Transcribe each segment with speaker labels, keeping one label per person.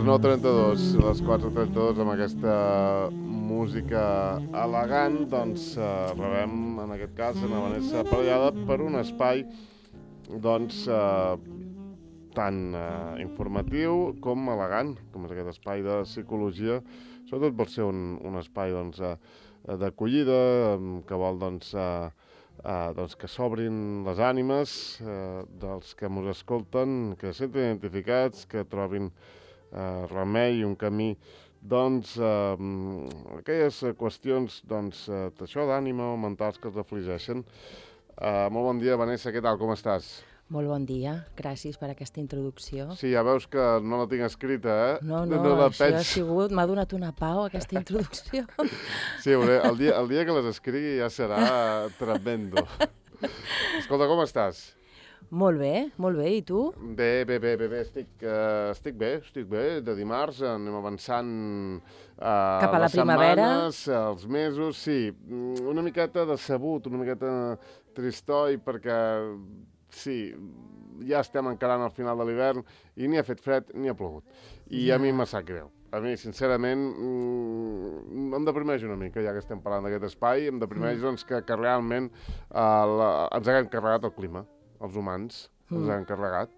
Speaker 1: les 9:32, les 4:32, amb aquesta música elegant, doncs rebem, en aquest cas, a Vanessa Parellada per un espai, doncs, tan informatiu com elegant, com és aquest espai de psicologia, sobretot vol ser un espai, doncs, d'acollida, que vol, doncs, que s'obrin les ànimes dels que ens escolten, que se sentin identificats, que trobin remei, un camí, doncs, aquelles qüestions, doncs, d'això, d'ànima o mentals que els afligeixen. Molt bon dia, Vanessa, què tal, com estàs?
Speaker 2: Molt bon dia, gràcies per aquesta introducció.
Speaker 1: Sí, ja veus que no la tinc escrita, eh?
Speaker 2: No,
Speaker 1: la
Speaker 2: això ha sigut, m'ha donat una pau, aquesta introducció.
Speaker 1: Sí, el dia que les escrigui ja serà tremendo. Escolta, com estàs?
Speaker 2: Molt bé, i tu?
Speaker 1: Bé, estic bé, de dimarts anem avançant
Speaker 2: cap a la
Speaker 1: les
Speaker 2: primavera.
Speaker 1: Setmanes, els mesos, sí, una miqueta decebut, una miqueta tristoi, perquè sí, ja estem encarant al final de l'hivern i ni ha fet fred ni ha plogut. I a mi em sap greu. A mi, sincerament, em deprimeix una mica, ja que estem parlant d'aquest espai, em deprimeix doncs, que realment ens haguem carregat el clima, els humans, ens haguem carregat.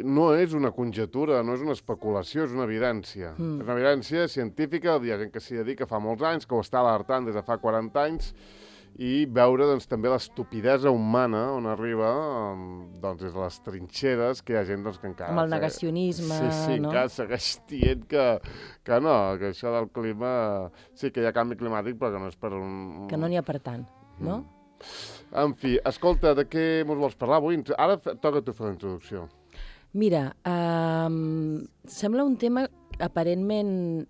Speaker 1: No és una conjetura, no és una especulació, és una evidència. És una evidència científica, hi ha gent que s'hi dedica fa molts anys, que ho està alertant des de fa 40 anys, i veure doncs, també l'estupidesa humana on arriba doncs, des de les trinxeres, que hi ha gent doncs, que encara...
Speaker 2: Com el negacionisme,
Speaker 1: sí,
Speaker 2: no?
Speaker 1: Que segueix dient que no, que això del clima... Sí, que hi ha canvi climàtic, però que no és per un...
Speaker 2: Que no n'hi ha per tant, no?
Speaker 1: En fi, escolta, de què ens vols parlar avui? Ara toca tu fer la introducció.
Speaker 2: Mira, sembla un tema aparentment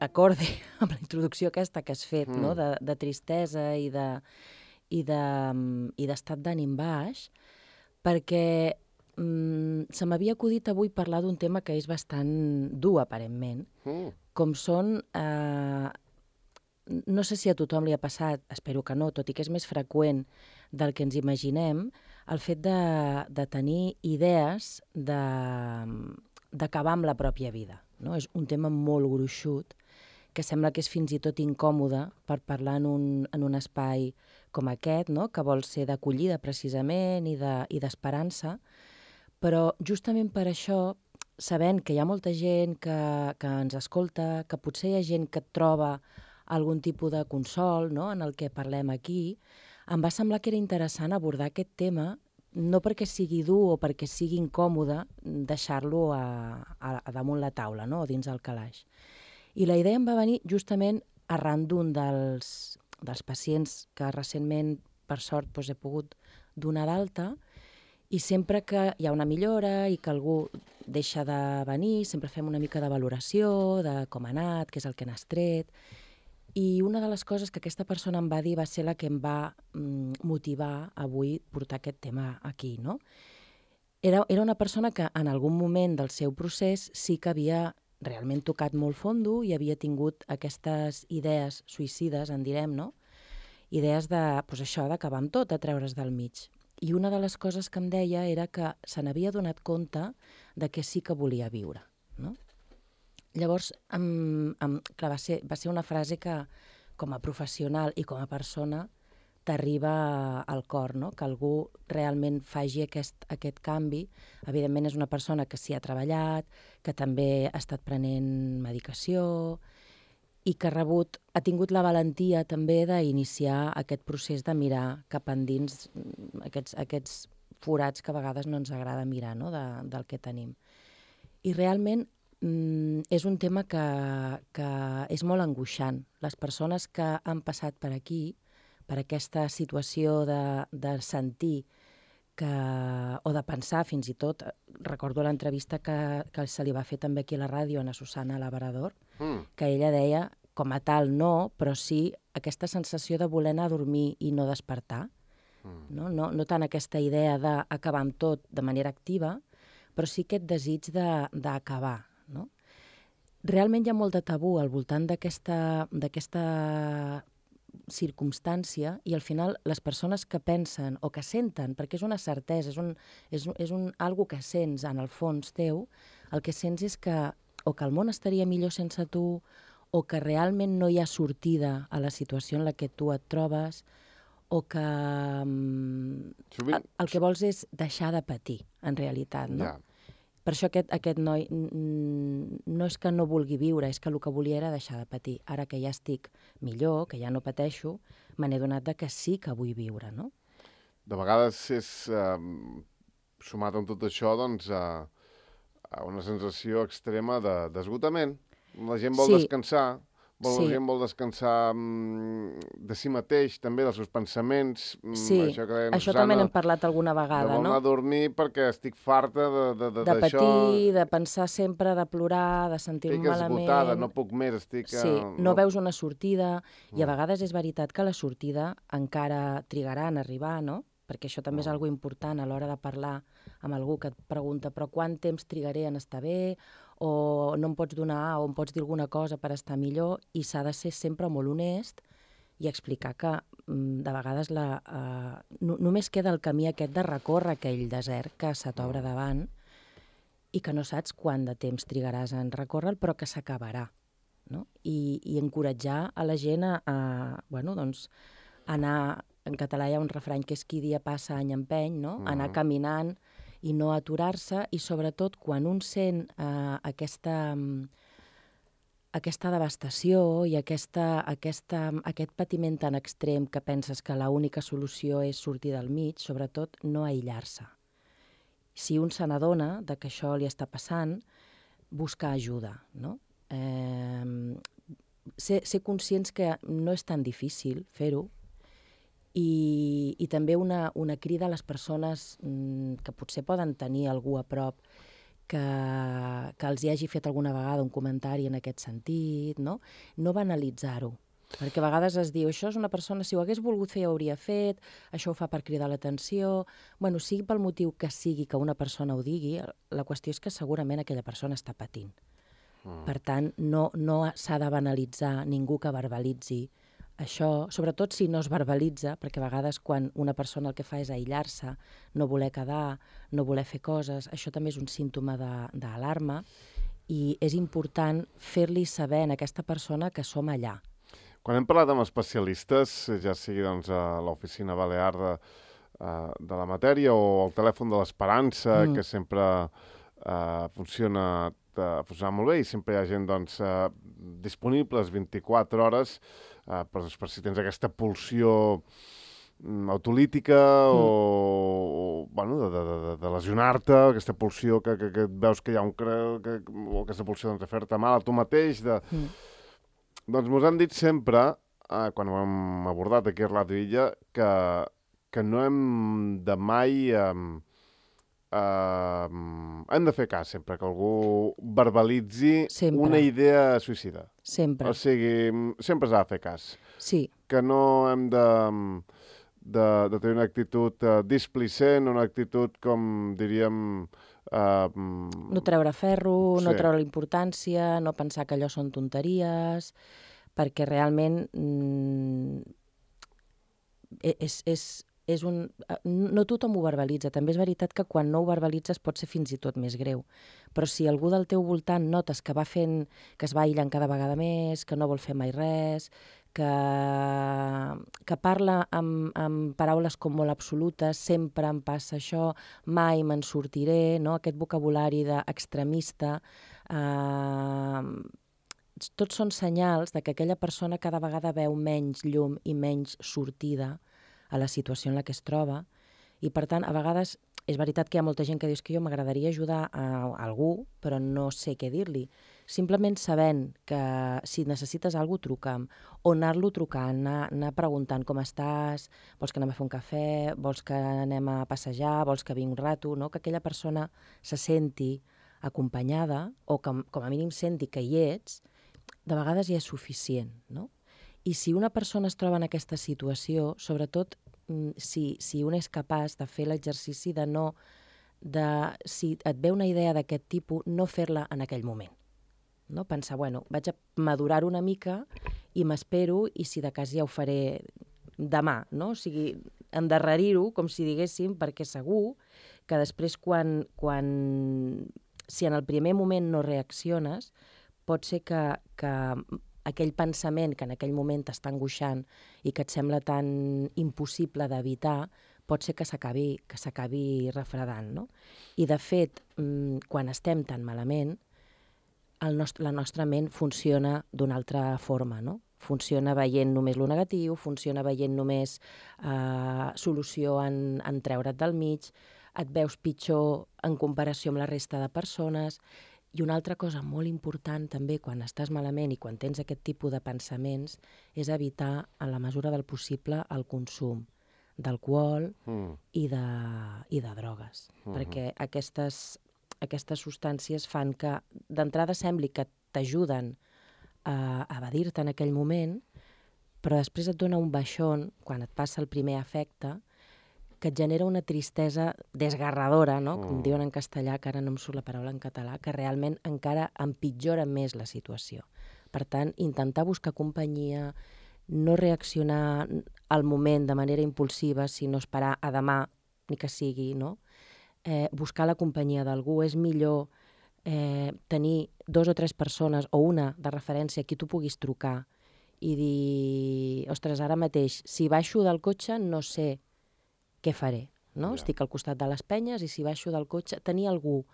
Speaker 2: acorde amb la introducció aquesta que has fet, no? de tristesa i d'estat d'ànim baix, perquè se m'havia acudit avui parlar d'un tema que és bastant dur, aparentment, com són... no sé si a tothom li ha passat, espero que no, tot i que és més freqüent del que ens imaginem, el fet de tenir idees d'acabar amb la pròpia vida. No? És un tema molt gruixut, que sembla que és fins i tot incòmode per parlar en un espai com aquest, no? Que vol ser d'acollida precisament i d'esperança, però justament per això, sabent que hi ha molta gent que ens escolta, que potser hi ha gent que troba algun tipus de consol, no? En el que parlem aquí, em va semblar que era interessant abordar aquest tema, no perquè sigui dur o perquè sigui incòmode deixar-lo a damunt la taula, no? O dins el calaix. I la idea em va venir justament arran d'un dels pacients que recentment, per sort, doncs, he pogut donar d'alta, i sempre que hi ha una millora i que algú deixa de venir, sempre fem una mica de valoració de com ha anat, què és el que n'has tret. I una de les coses que aquesta persona em va dir va ser la que em va motivar avui portar aquest tema aquí, no? Era una persona que en algun moment del seu procés sí que havia realment tocat molt fondo i havia tingut aquestes idees suïcides, en direm, no? Idees doncs això, d'acabar amb tot, de treure's del mig. I una de les coses que em deia era que se n'havia donat compte de que sí que volia viure, no? Llavors, clar, va ser una frase que, com a professional i com a persona, t'arriba al cor, no? Que algú realment faci aquest canvi. Evidentment és una persona que s'hi ha treballat, que també ha estat prenent medicació i que ha tingut la valentia també d'iniciar aquest procés de mirar cap endins aquests forats que a vegades no ens agrada mirar, no? Del que tenim. I realment és un tema que és molt angoixant. Les persones que han passat per aquí, per aquesta situació de sentir o de pensar fins i tot, recordo l'entrevista que se li va fer també aquí a la ràdio a Susana Labrador, que ella deia, com a tal no, però sí aquesta sensació de voler anar a dormir i no despertar, no tant aquesta idea d'acabar amb tot de manera activa, però sí aquest desig d'acabar, no? Realment hi ha molt de tabú al voltant d'aquesta circumstància i al final les persones que pensen o que senten, perquè és una certesa, és algo que sents en el fons teu, el que sents és que o que el món estaria millor sense tu o que realment no hi ha sortida a la situació en la que tu et trobes o que el que vols és deixar de patir, en realitat, no?
Speaker 1: Ja.
Speaker 2: Per això aquest noi no és que no vulgui viure, és que el que volia era deixar de patir. Ara que ja estic millor, que ja no pateixo, me n'he donat que sí que vull viure, no?
Speaker 1: De vegades és, sumat amb tot això, doncs, a una sensació extrema d'esgotament. La gent vol descansar, la gent vol descansar de si mateix, també dels seus pensaments.
Speaker 2: Sí, això també n'hem parlat alguna vegada, no?
Speaker 1: De vol anar a dormir perquè estic farta d'això.
Speaker 2: De patir, de pensar sempre, de plorar, de sentir-me malament.
Speaker 1: Estic esgotada, no puc més, estic...
Speaker 2: Sí, no veus una sortida, i a vegades és veritat que la sortida encara trigarà en arribar, no? Perquè això també és algo important a l'hora de parlar amb algú que et pregunta però quant temps trigaré en estar bé, o no em pots donar, o em pots dir alguna cosa per estar millor, i s'ha de ser sempre molt honest i explicar que de vegades només queda el camí aquest de recórrer aquell desert que se t'obre davant i que no saps quant de temps trigaràs en recórrer-lo, però que s'acabarà, no? I encoratjar a la gent bueno, doncs, anar... En català hi ha un refrany que és qui dia passa any empeny, no? Anar caminant i no aturar-se, i sobretot quan un sent aquesta devastació i aquest patiment tan extrem que penses que l'única solució és sortir del mig, sobretot no aïllar-se. Si un se n'adona que això li està passant, buscar ajuda, no? Ser conscients que no és tan difícil fer-ho, i també una crida a les persones que potser poden tenir algú a prop que els hi hagi fet alguna vegada un comentari en aquest sentit, no? No banalitzar-ho, perquè a vegades es diu això és una persona, si ho hagués volgut fer ja ho hauria fet, això ho fa per cridar l'atenció... Bueno, sigui pel motiu que sigui que una persona ho digui, la qüestió és que segurament aquella persona està patint. Per tant, no s'ha de banalitzar ningú que verbalitzi això, sobretot si no es verbalitza, perquè a vegades quan una persona el que fa és aïllar-se, no voler quedar, no voler fer coses, això també és un símptoma d'alarma, i és important fer-li saber a aquesta persona que som allà.
Speaker 1: Quan hem parlat amb especialistes, ja sigui doncs, a l'Oficina Balear de la Matèria o el telèfon de l'Esperança, que sempre funciona molt bé i sempre hi ha gent doncs, disponibles 24 hores per si tens aquesta pulsió autolítica o bueno, de lesionar-te, aquesta pulsió que veus que hi ha o aquesta pulsió de fer-te mal a tu mateix. Doncs mos han dit sempre, quan ho hem abordat aquí a Ràdio Illa, que no hem de mai... hem de fer cas sempre que algú verbalitzi una idea suïcida.
Speaker 2: Sempre.
Speaker 1: O sigui, sempre s'ha de fer cas.
Speaker 2: Sí.
Speaker 1: Que no hem de tenir una actitud displicent, una actitud, com diríem...
Speaker 2: No treure ferro, no treure la importància, no pensar que allò són tonteries, perquè realment no tothom ho verbalitza. També és veritat que quan no ho verbalitzes pot ser fins i tot més greu. Però si algú del teu voltant notes que que es va aïllant cada vegada més, que no vol fer mai res, que parla amb paraules com molt absolutes, sempre em passa això, mai me'n sortiré, no? Aquest vocabulari d'extremista, tots són senyals que aquella persona cada vegada veu menys llum i menys sortida a la situació en la que es troba, i per tant, a vegades, és veritat que hi ha molta gent que diu que jo m'agradaria ajudar a algú, però no sé què dir-li. Simplement sabent que si necessites alguna cosa, truca'm, o anar-lo trucant, anar preguntant com estàs, vols que anem a fer un cafè, vols que anem a passejar, vols que vingui un rato, no? Que aquella persona se senti acompanyada, o que com a mínim senti que hi ets, de vegades ja és suficient, no? I si una persona es troba en aquesta situació, sobretot si un és capaç de fer l'exercici de no... si et ve una idea d'aquest tipus, no fer-la en aquell moment. No? Pensar, bueno, vaig a madurar una mica i m'espero, i si de cas ja ho faré demà, no? O sigui, endarrerir-ho, com si diguéssim, perquè segur que després si en el primer moment no reacciones, pot ser que aquell pensament que en aquell moment t'està angoixant i que et sembla tan impossible d'evitar, pot ser que s'acabi refredant, no? I, de fet, quan estem tan malament, la nostra ment funciona d'una altra forma, no? Funciona veient només lo negatiu, funciona veient només solució en treure't del mig, et veus pitjor en comparació amb la resta de persones. I una altra cosa molt important també quan estàs malament i quan tens aquest tipus de pensaments és evitar, en la mesura del possible, el consum d'alcohol i de drogues. Perquè aquestes substàncies fan que d'entrada sembli que t'ajuden a evadir-te en aquell moment, però després et dona un baixón, quan et passa el primer efecte, que et genera una tristesa desgarradora, no? Com diuen en castellà, que ara no em surt la paraula en català, que realment encara empitjora més la situació. Per tant, intentar buscar companyia, no reaccionar al moment de manera impulsiva, sinó esperar a demà, ni que sigui, no? Buscar la companyia d'algú. És millor tenir 2 o 3 persones o una de referència a qui tu puguis trucar i dir, ostres, ara mateix, si baixo del cotxe no sé què faré, no? Yeah. Estic al costat de les penyes i si baixo del cotxe, tenir algú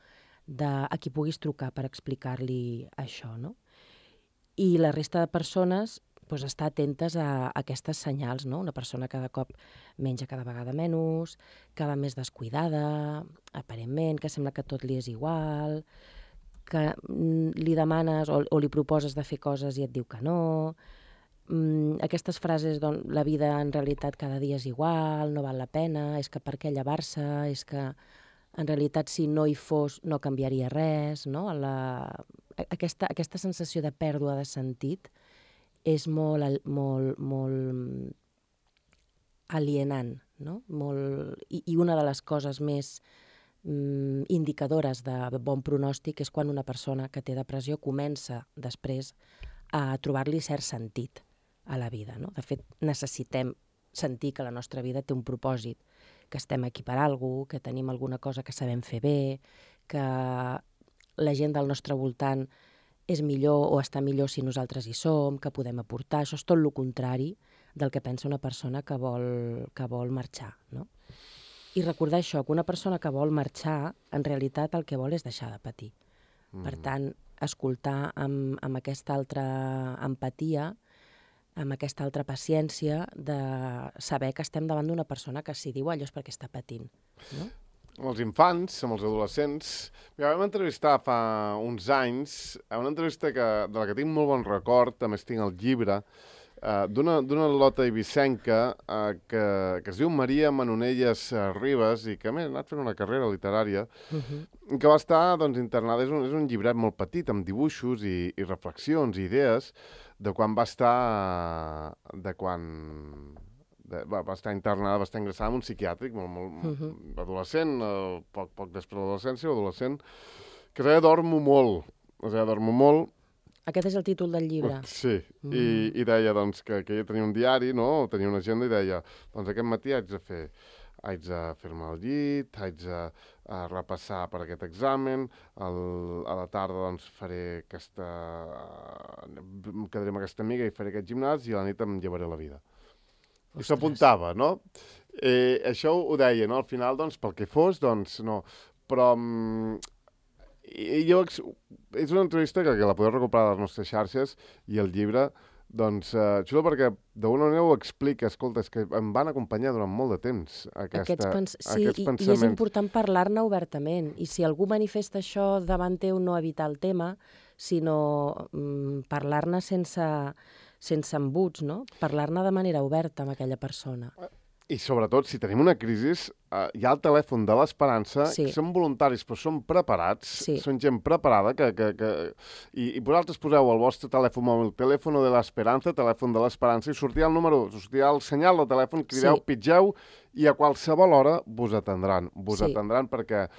Speaker 2: a qui puguis trucar per explicar-li això, no? I la resta de persones, doncs, estar atentes a aquestes senyals, no? Una persona cada cop menja cada vegada menys, que va més descuidada, aparentment, que sembla que tot li és igual, que li demanes o li proposes de fer coses i et diu que no. Aquestes frases, doncs, la vida en realitat cada dia és igual, no val la pena, és que per què llevar-se, és que en realitat si no hi fos no canviaria res, no? Aquesta sensació de pèrdua de sentit és molt alienant, no? I una de les coses més indicadores de bon pronòstic és quan una persona que té depressió comença després a trobar-li cert sentit a la vida, no? De fet, necessitem sentir que la nostra vida té un propòsit, que estem aquí per alguna cosa, que tenim alguna cosa que sabem fer bé, que la gent del nostre voltant és millor o està millor si nosaltres hi som, que podem aportar. Això és tot el contrari del que pensa una persona que vol marxar, no? I recordar això, que una persona que vol marxar, en realitat el que vol és deixar de patir. Per tant, escoltar amb aquesta altra empatia, amb aquesta altra paciència de saber que estem davant d'una persona que si diu allò és perquè està patint, no?
Speaker 1: Amb els infants, amb els adolescents. Mira, vam entrevistar fa uns anys, una entrevista de la que tinc molt bon record, a més tinc el llibre, d'una lota eivissenca que es diu Maria Manonelles Ribas i que a més ha anat fent una carrera literària, que va estar internada. És un llibret molt petit, amb dibuixos i reflexions i idees de quan va estar va estar internada, va estar ingressada en un psiquiàtric molt adolescent, poc després de l'adolescència o adolescent, que es deia Dormo molt.
Speaker 2: Aquest és el títol del llibre.
Speaker 1: Sí, i deia que ella tenia un diari, no? Tenia una agenda i deia, doncs aquest matí haig de fer-me al llit, haig de repassar per aquest examen, a la tarda faré em quedaré amb aquesta amiga i faré aquest gimnàs i a la nit em llevaré la vida. I s'apuntava, no? Això ho deia, no? Al final, pel que fos, no. Però és una entrevista que la podeu recuperar a les nostres xarxes i el llibre, xulo perquè d'alguna manera ho explica. Escolta, és que em van acompanyar durant molt de temps aquests pensaments.
Speaker 2: I és important parlar-ne obertament. I si algú manifesta això davant teu, no evitar el tema, sinó parlar-ne sense embuts, no? Parlar-ne de manera oberta amb aquella persona.
Speaker 1: I sobretot, si tenim una crisi, hi ha el telèfon de l'Esperança, que són voluntaris però són preparats, són gent preparada, i vosaltres poseu el vostre telèfon mòbil, telèfon de l'Esperança, telèfon de l'Esperança, i sortirà el número, sortirà el senyal del telèfon, crideu, pitgeu, i a qualsevol hora vos atendran perquè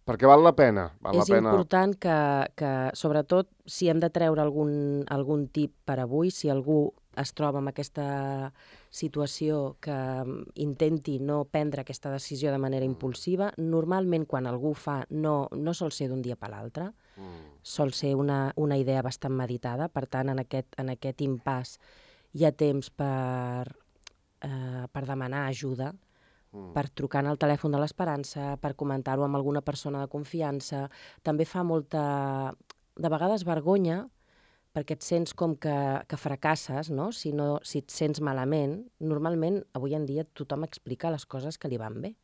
Speaker 1: Perquè val la pena.
Speaker 2: És important que, sobretot, si hem de treure algun tip per avui, si algú es troba en aquesta situació que intenti no prendre aquesta decisió de manera impulsiva, normalment quan algú ho fa no sol ser d'un dia per l'altre, sol ser una idea bastant meditada, per tant, en aquest impàs hi ha temps per demanar ajuda, per trucar al telèfon de l'Esperança, per comentar-ho amb alguna persona de confiança. També fa de vegades, vergonya, perquè et sents com que fracasses, no? Si et sents malament. Normalment, avui en dia, tothom explica les coses que li van bé.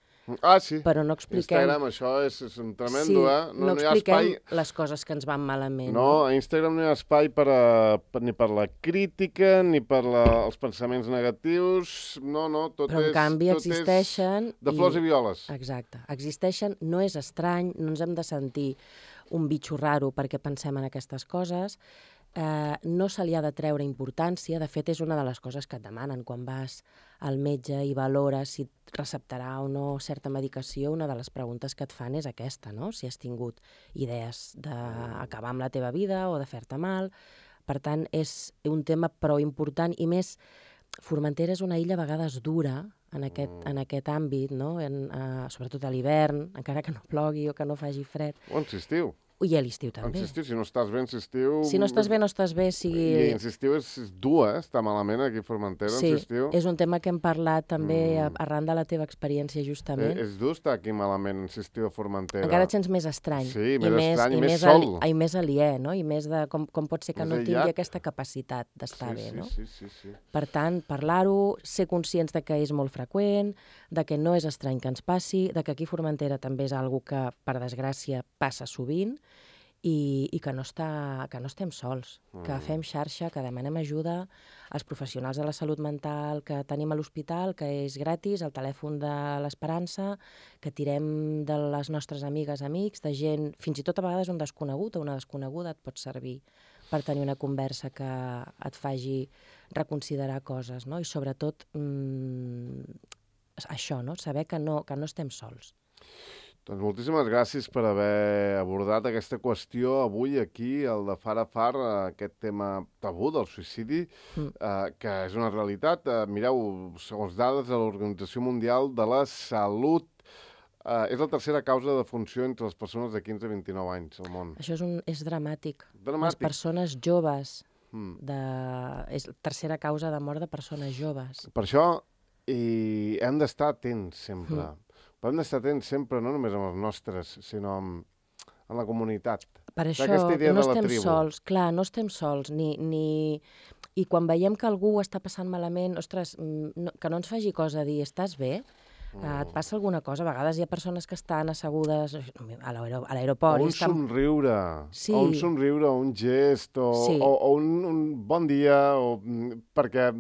Speaker 1: Ah, sí.
Speaker 2: Però no expliquem...
Speaker 1: Instagram, això és un tremendo,
Speaker 2: no expliquem les coses que ens van malament.
Speaker 1: No, a Instagram no hi ha espai ni per la crítica, ni per els pensaments negatius, no, tot és...
Speaker 2: Però en canvi existeixen...
Speaker 1: De flors i violes.
Speaker 2: Exacte, existeixen, no és estrany, no ens hem de sentir un bitxo raro perquè pensem en aquestes coses, no se li ha de treure importància, de fet és una de les coses que et demanen quan vas al metge i valores si et receptarà o no certa medicació, una de les preguntes que et fan és aquesta, no? Si has tingut idees d'acabar amb la teva vida o de fer-te mal. Per tant, és un tema prou important i més, Formentera és una illa a vegades dura en aquest àmbit, no? Sobretot a l'hivern, encara que no plogui o que no faci fred.
Speaker 1: O en l'estiu.
Speaker 2: I a l'estiu també.
Speaker 1: En l'estiu, si no estàs bé, en l'estiu...
Speaker 2: Si no estàs bé, no estàs bé, sigui...
Speaker 1: I en l'estiu és dur, està malament aquí a Formentera, en l'estiu.
Speaker 2: Sí, és un tema que hem parlat també arran de la teva experiència, justament.
Speaker 1: És dur estar aquí malament en l'estiu a Formentera.
Speaker 2: Encara et sents més estrany.
Speaker 1: Sí, més estrany i més sol.
Speaker 2: I més aliè, no? I més de com pot ser que no tingui aquesta capacitat d'estar bé, no?
Speaker 1: Sí.
Speaker 2: Per tant, parlar-ho, ser conscients de que és molt freqüent, de que no és estrany que ens passi, de que aquí a Formentera també és algo que, per desgràcia, passa sovint, i que no estem sols, que fem xarxa, que demanem ajuda als professionals de la salut mental que tenim a l'hospital, que és gratis, al telèfon de l'Esperança, que tirem de les nostres amigues, amics, de gent, fins i tot a vegades un desconegut o una desconeguda et pot servir per tenir una conversa que et faci reconsiderar coses, no? I sobretot això, no? Saber que no estem sols.
Speaker 1: Doncs moltíssimes gràcies per haver abordat aquesta qüestió avui aquí, el de Far a Far, aquest tema tabú del suïcidi, que és una realitat. Mireu, segons dades de l'Organització Mundial de la Salut, és la tercera causa de defunció entre les persones de 15 a 29 anys al món.
Speaker 2: Això és dramàtic. Les persones joves, és la tercera causa de mort de persones joves.
Speaker 1: Per això hem d'estar atents sempre. Però hem d'estar atents sempre, no només amb els nostres, sinó amb la comunitat.
Speaker 2: Per això no estem sols, clar, no estem sols, i quan veiem que algú està passant malament, ostres, que no ens faci cosa dir, estàs bé? Et passa alguna cosa? A vegades hi ha persones que estan assegudes a l'aeroport.
Speaker 1: O un somriure, o un gest, o un bon dia, perquè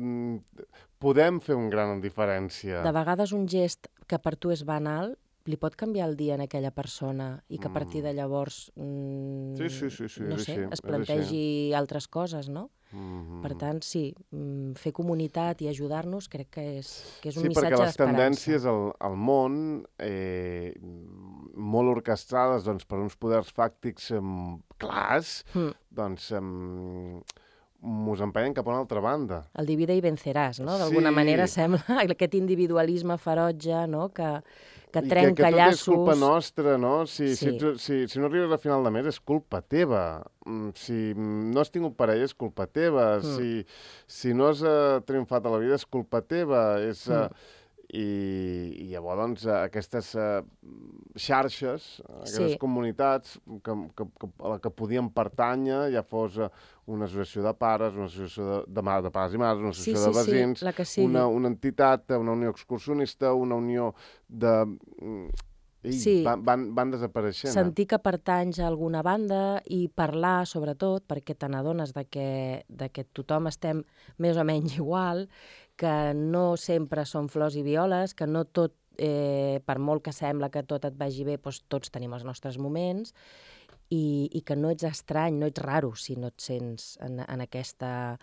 Speaker 1: podem fer una gran diferència.
Speaker 2: De vegades un gest que per tu és banal li pot canviar el dia en aquella persona i que a partir de llavors, es plantegi altres coses, no? Per tant, sí, fer comunitat i ajudar-nos crec que és un missatge d'esperança. Sí, perquè les tendències
Speaker 1: al món, molt orquestrades per uns poders fàctics clars, doncs mos empenyen cap a una altra banda.
Speaker 2: El divide i venceràs, no? D'alguna manera sembla aquest individualisme ferotge, no? Que trenca llaços.
Speaker 1: I que tot és culpa nostra, no? Si no arribes a final de mes és culpa teva. Si no has tingut parella és culpa teva. Si no has triomfat a la vida és culpa teva. I llavors, doncs, aquestes xarxes, aquestes comunitats a la que podien pertànyer, ja fos una associació de pares, una associació de pares i mares, una associació de veïns, una entitat, una unió excursionista, una unió de... van desapareixent.
Speaker 2: Sentir que pertanys a alguna banda i parlar, sobretot, perquè te n'adones de que tothom estem més o menys igual, que no sempre són flors i violes, que no tot, per molt que sembla que tot et vagi bé, doncs tots tenim els nostres moments, i que no ets estrany, no ets raro si no et sents en aquesta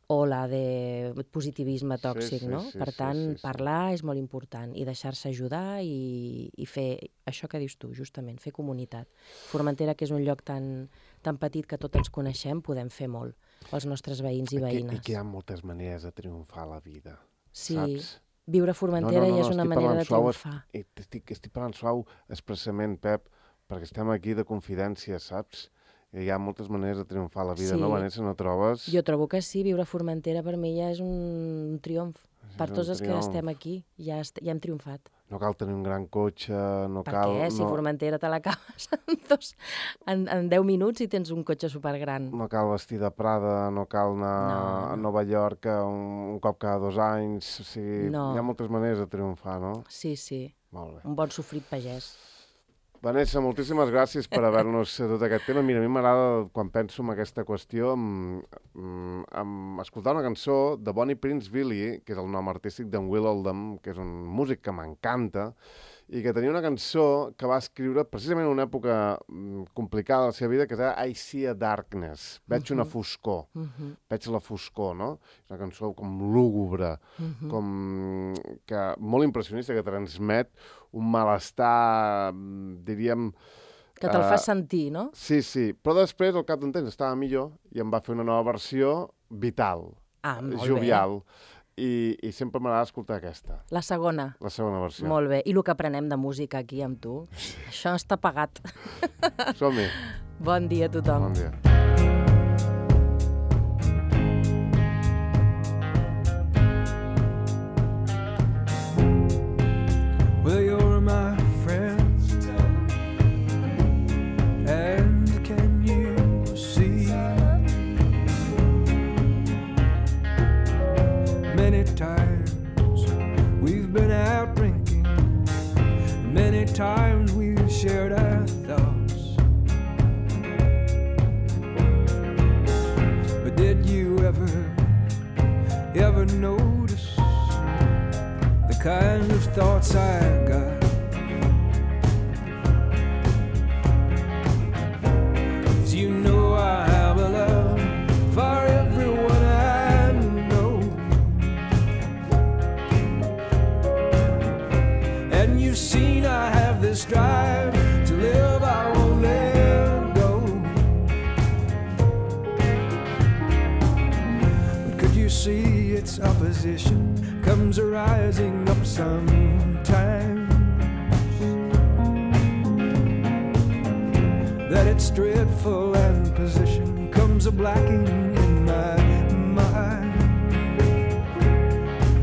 Speaker 2: o la de positivisme tòxic, no? Per tant, parlar és molt important i deixar-se ajudar i fer això que dius tu, justament, fer comunitat. Formentera, que és un lloc tan petit que tots ens coneixem, podem fer molt pels nostres veïns i veïnes.
Speaker 1: I que hi ha moltes maneres de triomfar a la vida,
Speaker 2: sí.
Speaker 1: Saps?
Speaker 2: Viure a Formentera ja és una manera de triomfar.
Speaker 1: Estic parlant suau expressament, Pep, perquè estem aquí de confidència, saps? Hi ha moltes maneres de triomfar a la vida, no, Vanessa? No trobes?
Speaker 2: Jo trobo que sí, viure a Formentera per mi ja és un triomf. Per tots els que estem aquí, ja hem triomfat.
Speaker 1: No cal tenir un gran cotxe, no cal...
Speaker 2: Per què? Si Formentera te l'acabes en 10 minuts i tens un cotxe supergran.
Speaker 1: No cal vestir de Prada, no cal anar a Nova York un cop cada 2 anys. O sigui, hi ha moltes maneres de triomfar, no?
Speaker 2: Sí, sí.
Speaker 1: Molt bé.
Speaker 2: Un bon sofrit pagès.
Speaker 1: Vanessa, moltíssimes gràcies per haver-nos dut aquest tema. Mira, a mi m'agrada, quan penso en aquesta qüestió, escoltar una cançó de Bonnie Prince Billy, que és el nom artístic d'en Will Oldham, que és un músic que m'encanta, i que tenia una cançó que va escriure precisament en una època complicada de la seva vida, que es deia I See a Darkness, veig una foscor, veig la foscor, no? És una cançó com lúgubre, com que molt impressionista, que transmet un malestar, diríem...
Speaker 2: Que te'l fa sentir, no?
Speaker 1: Sí, sí, però després, al cap d'un temps, estava millor i em va fer una nova versió vital, jovial. I sempre m'agrada escoltar aquesta.
Speaker 2: La segona.
Speaker 1: La segona versió.
Speaker 2: Molt bé. I el que aprenem de música aquí amb tu, això està pagat.
Speaker 1: Som-hi.
Speaker 2: Bon dia a tothom.
Speaker 1: Bon dia.
Speaker 3: Well, you're my friend, and can you see? Many times we've been out drinking, many times we've shared our thoughts. But did you ever notice the kind of thoughts I got? 'Cause you know I have a love for everyone I know, and you've seen I have this drive to live, I won't let go. But could you see its opposition comes rising up sometimes, that its dreadful and position comes a blacking in my mind,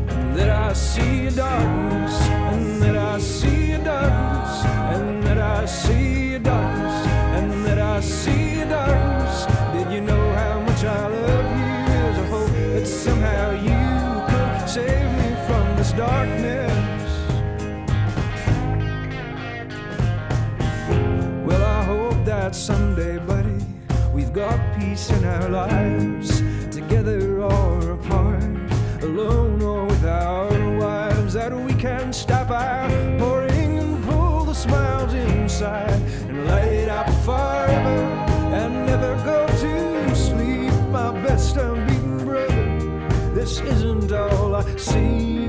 Speaker 3: and that I see a darkness, and that I see a darkness, and that I see a darkness, and that I see a darkness. Did you know how much I love you? There's a hope that somehow you could save me from this darkness. Well, I hope that someday, buddy, we've got peace in our lives, together or apart, alone or with our wives, that we can stop our pouring and pull the smiles inside and light up forever and never go to sleep. My best unbeaten brother, this isn't all I see.